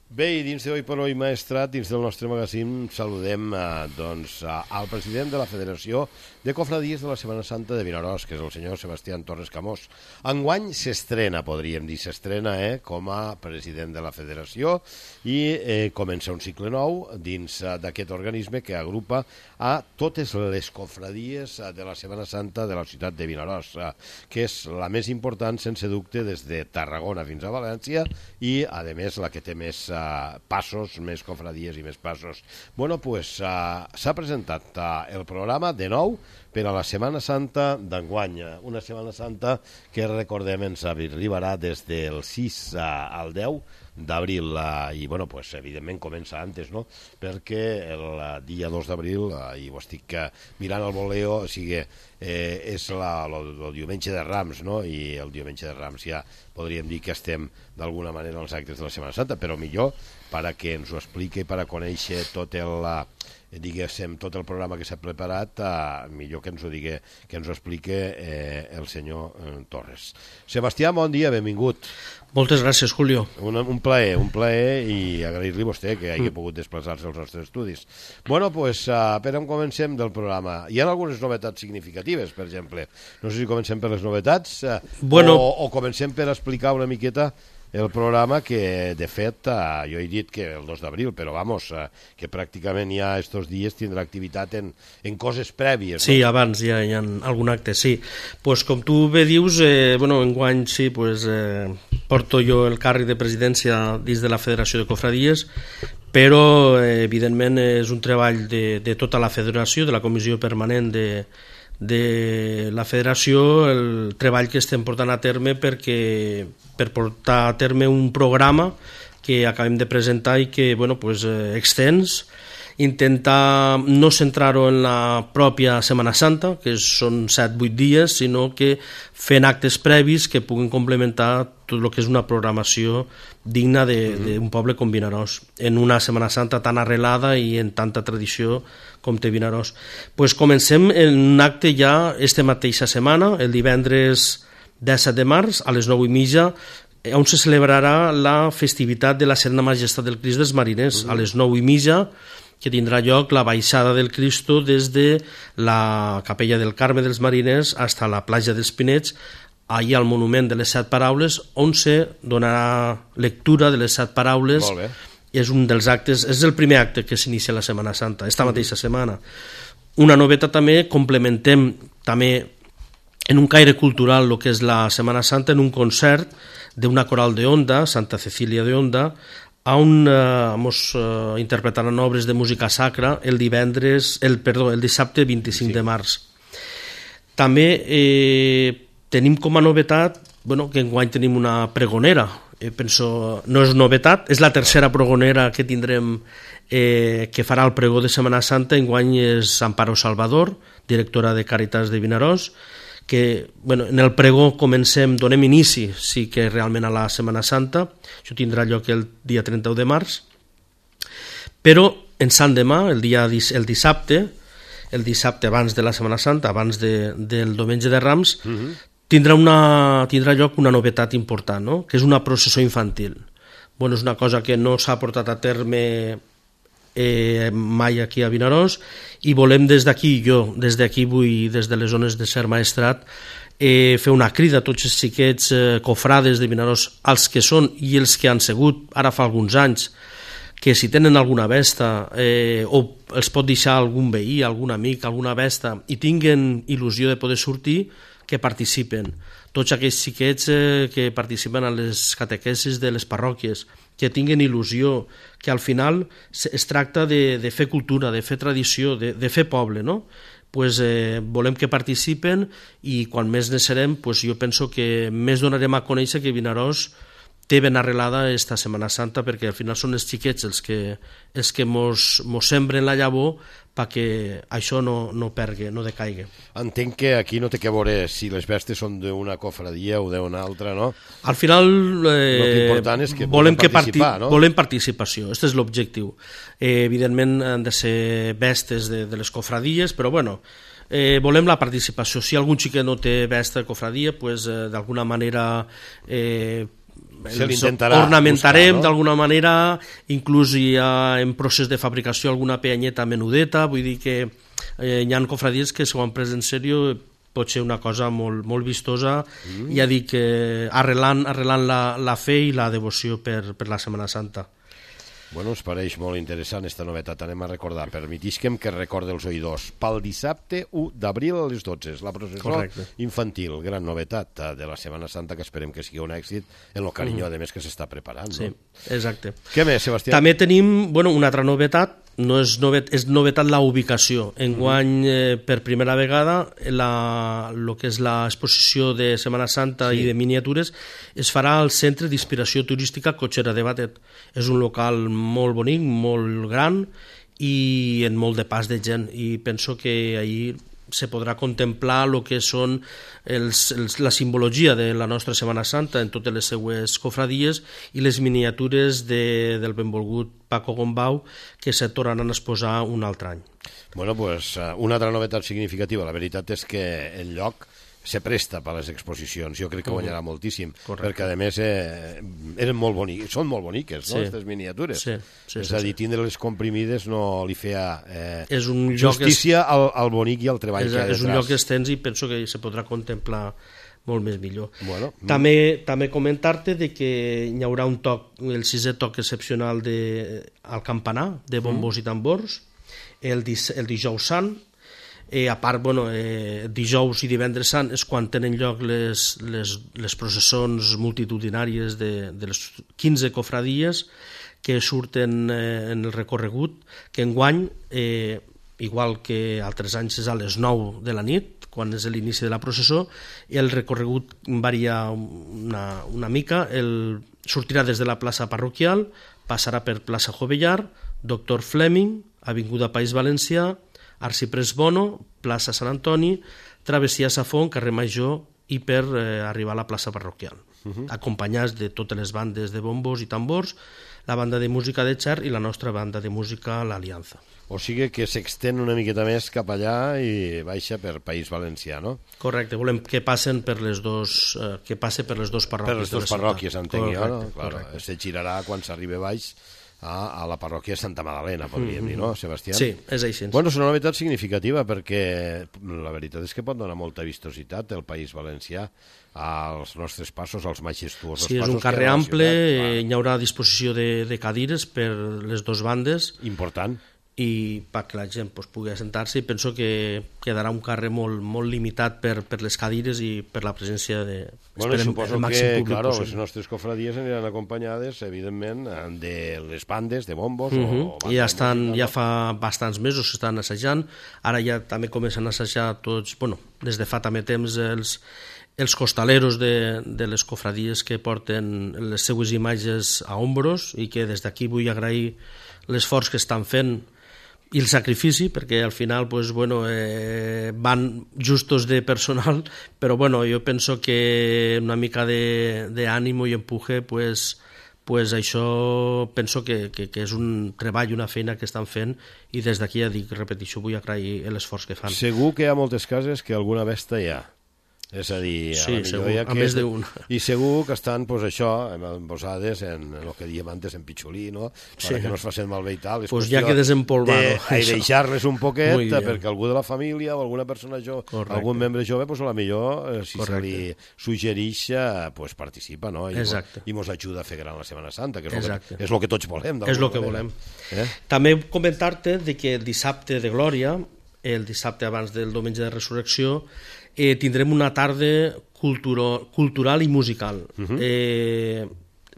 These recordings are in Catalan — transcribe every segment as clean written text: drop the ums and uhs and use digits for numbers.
Bé, i dins d'Hoy per Hoy Maestrat, dins del nostre magazín, saludem al president de la Federació de Cofradies de la Setmana Santa de Vinaròs, que és el senyor Sebastián Torres Camós. Enguany s'estrena, podríem dir, com a president de la Federació i comença un cicle nou dins d'aquest organisme que agrupa a totes les cofradies de la Setmana Santa de la ciutat de Vinaròs, que és la més important, sense dubte, des de Tarragona fins a València i, a més, la que té més passos, més cofradies i més passos. Bueno, pues s'ha presentat el programa de nou per a la Setmana Santa d'enguany, una Setmana Santa que, recordem, ens arribarà des del 6 al 10 d'abril i, bueno, pues, evidentment comença antes, no? Perquè el dia 2 d'abril, i ho estic mirant al voleo, o sigui, és el diumenge de Rams, no? I el diumenge de Rams ja podríem dir que estem d'alguna manera als actes de la Setmana Santa, però millor per a que ens ho expliqui, per a conèixer tot el programa que s'ha preparat, millor que ens ho digui, que ens ho expliqui el senyor Torres. Sebastià, bon dia, benvingut. Moltes gràcies, Julio. Un plaer i agrair-li a vostè que hagi pogut desplaçar-se als nostres estudis. Bueno, pues, per on comencem del programa? Hi ha algunes novetats significatives, per exemple. No sé si comencem per les novetats o comencem per explicar una miqueta el programa que, de fet, jo he dit que el 2 d'abril, però vamos, que pràcticament ja estos dies tindrà activitat en coses prèvies. Sí, no? Abans ja hi ha algun acte, sí. Pues, com tu bé dius, enguany sí, porto jo el càrrec de presidència dins de la Federació de Cofradies, però evidentment és un treball de tota la federació, de la comissió permanent de la federació, el treball que estem portant a terme per portar a terme un programa que acabem de presentar i que extens, intentar no centrar-ho en la pròpia Setmana Santa, que són 7-8 dies, sinó que fent actes previs que puguin complementar tot el que és una programació digna d'un poble com Vinaròs, en una Setmana Santa tan arrelada i en tanta tradició com té Vinaròs. Comencem en un acte ja esta mateixa setmana, el divendres 17 de març, a les 9:30, on se celebrarà la festivitat de la Serena Majestat del Crist dels Mariners, a les 9:30, que tindrà lloc la baixada del Cristo des de la capella del Carme dels Mariners fins a la platja dels Pinets, allà al monument de les 7 paraules, on se donarà lectura de les 7 paraules. Molt bé. És un dels actes, és el primer acte que s'inicia la Setmana Santa, esta mateixa setmana. Una novetat també, complementem també en un caire cultural el que és la Setmana Santa, en un concert d'una coral de Onda, Santa Cecília de Onda, on interpretaran obres de música sacra el dissabte 25 de març. També tenim com a novetat que enguany tenim una pregonera. Penso, no és novetat, és la tercera pregonera que tindrem que farà el pregó de Setmana Santa. Enguany és Amparo Salvador, directora de Càritas de Vinaròs, que en el pregó donem inici sí que realment a la Setmana Santa. Això tindrà lloc el dia 31 de març, però en Sant Demà, el dissabte abans de la Setmana Santa, abans del diumenge de Rams, tindrà lloc una novetat important, no? Que és una processó infantil. És una cosa que no s'ha portat a terme mai aquí a Vinaròs, i volem des d'aquí vull, des de les zones de Ser Maestrat, fer una crida a tots els xiquets cofrades de Vinaròs, els que són i els que han sigut ara fa alguns anys, que si tenen alguna besta o els pot deixar algun veí, algun amic, alguna besta, i tinguen il·lusió de poder sortir, que participen. Tots aquells xiquets que participen a les catequesis de les parròquies, que tinguen il·lusió, que al final es tracta de fer cultura, de fer tradició, de fer poble, no? Volem que participen, i quan més ne serem, jo penso que més donarem a conèixer que Vinaròs té ben arrelada esta Setmana Santa, perquè al final són els xiquets els que mos sembren la llavor perquè això no pergui, no decaigui. Entenc que aquí no té que veure si les bestes són d'una cofradia o d'una altra, no? Al final l'important és que volem participar, no? Volem participació, aquest és l'objectiu. Evidentment han de ser bestes de les cofradies, però volem la participació. Si algun xiquet no té besta de cofradia, d'alguna manera ornamentarem d'alguna manera, inclús hi ha en procés de fabricació alguna peanyeta menudeta, vull dir que hi ha cofradies que s'ho han pres en sèrio, pot ser una cosa molt vistosa, ja dic, arrelant la fe i la devoció per la Setmana Santa. Bueno, ens pareix molt interessant esta novetat. Anem a recordar, permetisquem que recorde els oïdors. Pel dissabte 1 d'abril a les 12, la processó infantil, gran novetat de la Setmana Santa, que esperem que sigui un èxit en el carinyo, a més, que s'està preparant. Sí, exacte. Què més, Sebastià? També tenim una altra novetat, no és novetat la ubicació. Enguany, per primera vegada, el que és l'exposició de Setmana Santa i de miniatures es farà al Centre d'Inspiració Turística Cotxera de Batet. És un local molt bonic, molt gran i en molt de pas de gent, i penso que ahir se podrà contemplar el que són la simbologia de la nostra Setmana Santa en totes les seues cofradies i les miniatures del benvolgut Paco Gombau, que se tornaran a exposar un altre any. Bueno, pues una altra novetat significativa. La veritat és que el lloc se presta per a les exposicions. Jo crec que guanyarà moltíssim, perquè a més eren molt boniques, són molt boniques, no, aquestes miniatures. És a dir, tindre-les comprimides no li feia justícia al bonic i al treball que hi ha detrás. És un lloc extens i penso que se podrà contemplar molt més millor. També comentar-te que hi haurà un toc, el 6è toc excepcional al campanar, de bombos i tambors, el dijous sant. A part, dijous i divendres sant és quan tenen lloc les processons multitudinàries de les 15 cofradies que surten en el recorregut, que enguany, igual que altres anys, és a les 9 de la nit, quan és l'inici de la processó, i el recorregut varia una mica, sortirà des de la plaça parroquial, passarà per plaça Jovellar, Doctor Fleming, Avinguda País Valencià, Arciprés Bono, plaça Sant Antoni, travessia Safon, carrer Major, i per arribar a la plaça parroquial, acompanyats de totes les bandes de bombos i tambors, la banda de música de Xer i la nostra banda de música, l'Aliança. O sigui que s'extén una miqueta més cap allà i baixa per País Valencià, no? Correcte, volem que passe per les dues parròquies. Per les dues parròquies, entenc jo, no? Claro, se girarà quan s'arriba baix a la parròquia de Santa Magdalena, podríem dir, no, Sebastià? Sí, és així. Bueno, és una novetat significativa perquè la veritat és que pot donar molta vistositat el País Valencià als nostres passos, als majestuosos passos. Sí, és un carrer ample, hi haurà disposició de cadires per les dues bandes. Important. I perquè la gent pugui assentar-se, i penso que quedarà un carrer molt limitat per les cadires i per la presència de suposo que, claro, les nostres cofradies aniran acompanyades, evidentment, de les bandes, de bombos. Ja fa bastants mesos que estan assajant, ara ja també comencen a assajar tots, des de fa també temps els costaleros de les cofradies que porten les seues imatges a ombros, i que des d'aquí vull agrair l'esforç que estan fent i el sacrifici, perquè al final van justos de personal, però jo penso que una mica d'ànimo i empuje, això penso que és un treball, una feina que estan fent, i des d'aquí ja dic, repeteixo, vull agrair l'esforç que fan. Segur que hi ha moltes cases que alguna besta hi ha. És a dir, a més d'un. I segur que estan, posades en el que diem antes, en pitxolí, no? Perquè no es facin malbé i tal. Ja que desempolvar-ho. Deixar-les un poquet, perquè algú de la família o alguna persona jove, algun membre jove, a la millor, si se li suggereix, participa, no? I mos ajuda a fer gran la Setmana Santa, que és el que tots volem. És el que volem. També comentar-te que el dissabte de Glòria, el dissabte abans del diumenge de Resurrecció, tindrem una tarda cultural i musical.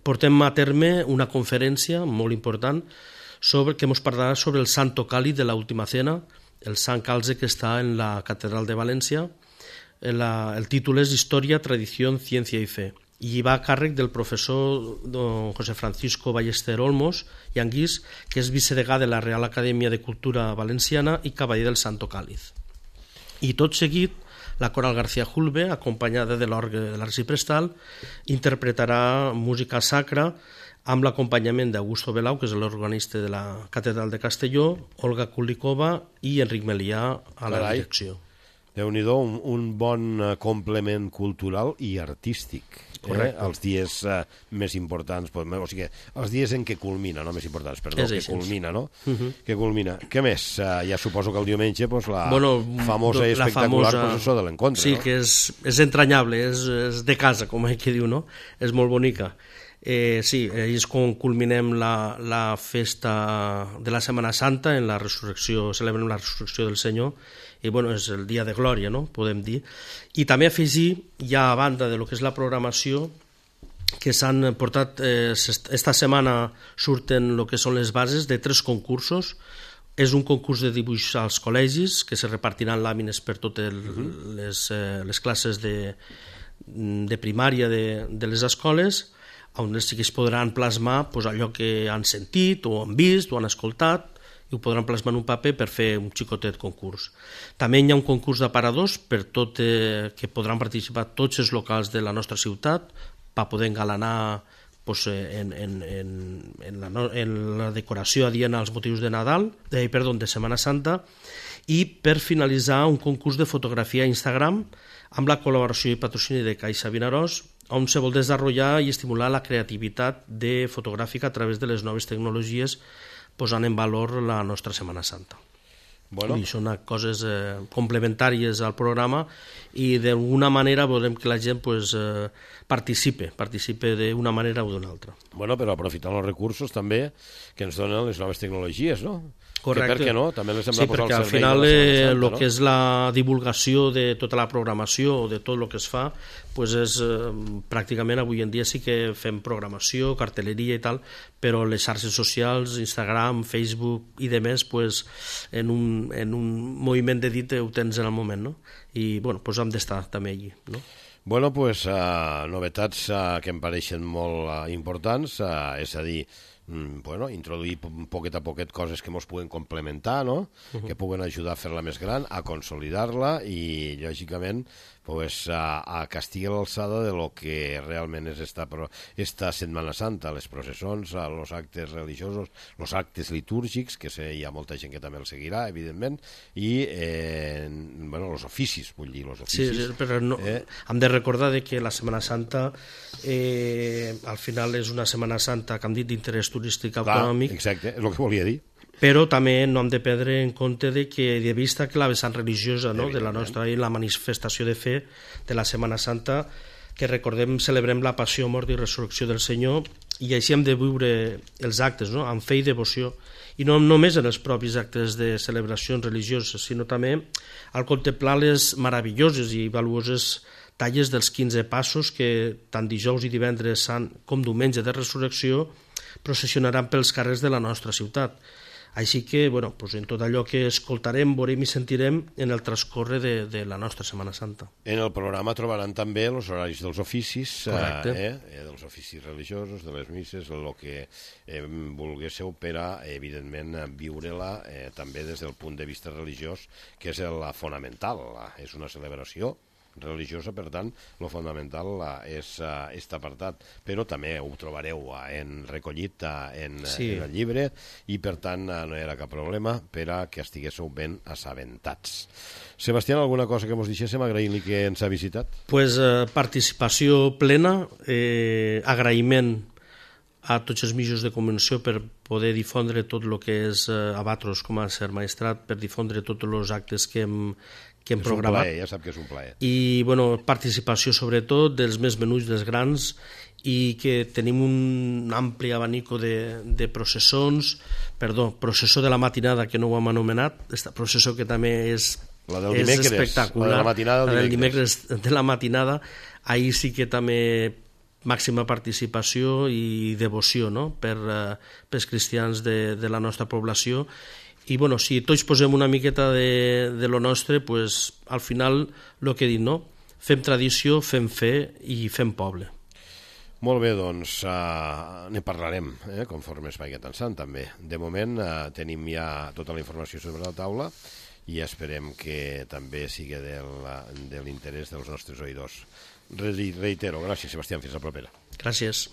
Portem a terme una conferència molt important que ens parlarà sobre el Santo Cáliz de la Última Cena, el Sant Calze que està en la Catedral de València. El títol és Història, Tradició, Ciència i Fe, i va a càrrec del professor don José Francisco Ballester Olmos i Anguís, que és vicedegà de la Real Acadèmia de Cultura Valenciana i cavaller del Santo Cáliz. I tot seguit, la Coral García Julve, acompanyada de l'orgue de l'Arciprestal, interpretarà música sacra amb l'acompanyament d'Augusto Belau, que és l'organista de la Catedral de Castelló, Olga Kulikova i Enric Melià a la direcció. Déu-n'hi-do, un bon complement cultural i artístic. Els dies més importants, o sigui, els dies en què culmina, no més importants, perdó, que culmina, no? Que culmina. Què més? Ja suposo que el diumenge la famosa i espectacular processó de l'encontre, sí, no? que és entranyable, és de casa, com que diu, no? És molt bonica. Sí, és com culminem la festa de la Setmana Santa, en la resurrecció, celebrem la resurrecció del Senyor, i bueno, és el dia de glòria, no?, podem dir. I també afegir, ja a banda de lo que és la programació, que s'han portat, esta setmana surten el que són les bases de 3 concursos. És un concurs de dibuix als col·legis, que se repartiran làmines per totes les classes de primària de les escoles, on els xiquets podran plasmar allò que han sentit, o han vist, o han escoltat, i ho podran plasmar en un paper per fer un xicotet concurs. També hi ha un concurs d'aparadors que podran participar tots els locals de la nostra ciutat per poder engalanar en la decoració adient als motius de de Setmana Santa, i per finalitzar un concurs de fotografia a Instagram amb la col·laboració i patrocini de Caixa Vinaròs, on se vol desenvolupar i estimular la creativitat fotogràfica a través de les noves tecnologies, posant en valor la nostra Setmana Santa. Bueno. I són coses complementàries al programa, i d'alguna manera volem que la gent participe d'una manera o d'una altra. Bueno, però aprofitant els recursos també que ens donen les noves tecnologies, no? Correcte. Que per què no? També les hem de posar al servei. Sí, perquè al final el que és la divulgació de tota la programació, de tot el que es fa, és pràcticament avui en dia sí que fem programació, cartelleria i tal, però les xarxes socials, Instagram, Facebook i demés, en un moviment de dit ho tens en el moment, no? I bueno, hem d'estar també allí, no? Bueno, novetats que em pareixen molt importants, és a dir, introduir poquet a poquet coses que ens puguen complementar, no? Que puguen ajudar a fer-la més gran, a consolidar-la i, lògicament, a que estigui a l'alçada de lo que realment és esta Setmana Santa, les processons, els actes religiosos, els actes litúrgics, que hi ha molta gent que també el seguirà, evidentment, i els oficis, vull dir, els oficis. Sí, però hem de recordar que la Setmana Santa al final és una Setmana Santa, que hem dit, d'interès turístic autonòmic. Exacte, és el que volia dir. Però també no hem de perdre en compte de vista que la vessant religiosa de la nostra i la manifestació de fe de la Setmana Santa, que recordem, celebrem la passió, mort i resurrecció del Senyor, i així hem de viure els actes, no?, amb fe i devoció, i no només en els propis actes de celebracions religioses, sinó també al contemplar les meravelloses i valuoses talles dels 15 passos que tant dijous i divendres sant com diumenge de resurrecció processionaran pels carrers de la nostra ciutat. Així que, en tot allò que escoltarem, veurem i sentirem en el transcorre de la nostra Setmana Santa. En el programa trobaran també els horaris dels oficis, dels oficis religiosos, de les misses, el que volguésseu per a, evidentment, viure-la també des del punt de vista religiós, que és la fonamental. És una celebració religiosa, per tant, el fonamental és aquest apartat, però també ho trobareu recollit en el llibre, i per tant no hi ha cap problema per a que estiguéssiu ben assabentats. Sebastián, alguna cosa que ens deixéssim, agraint-li que ens ha visitat? Participació plena, agraïment a tots els mitjans de comunicació per poder difondre tot el que és Abatros com a ser maestrat, per difondre tots els actes que hem programat. Ja sap que és un plaer. I participació sobretot dels més menuts, dels grans, i que tenim un ampli abanico de processons, processó de la matinada, que no ho hem anomenat, aquesta processó que també és espectacular, la del dimecres de la matinada, ahir sí que també màxima participació i devoció, no?, pels cristians de la nostra població. I si tots posem una miqueta de lo nostre, al final el que he dit, no? Fem tradició, fem fe i fem poble. Molt bé, doncs ne parlarem conforme es vagi avançant també. De moment tenim ja tota la informació sobre la taula i esperem que també sigui de l'interès dels nostres oïdors. Reitero, gràcies, Sebastián, fins la propera. Gràcies.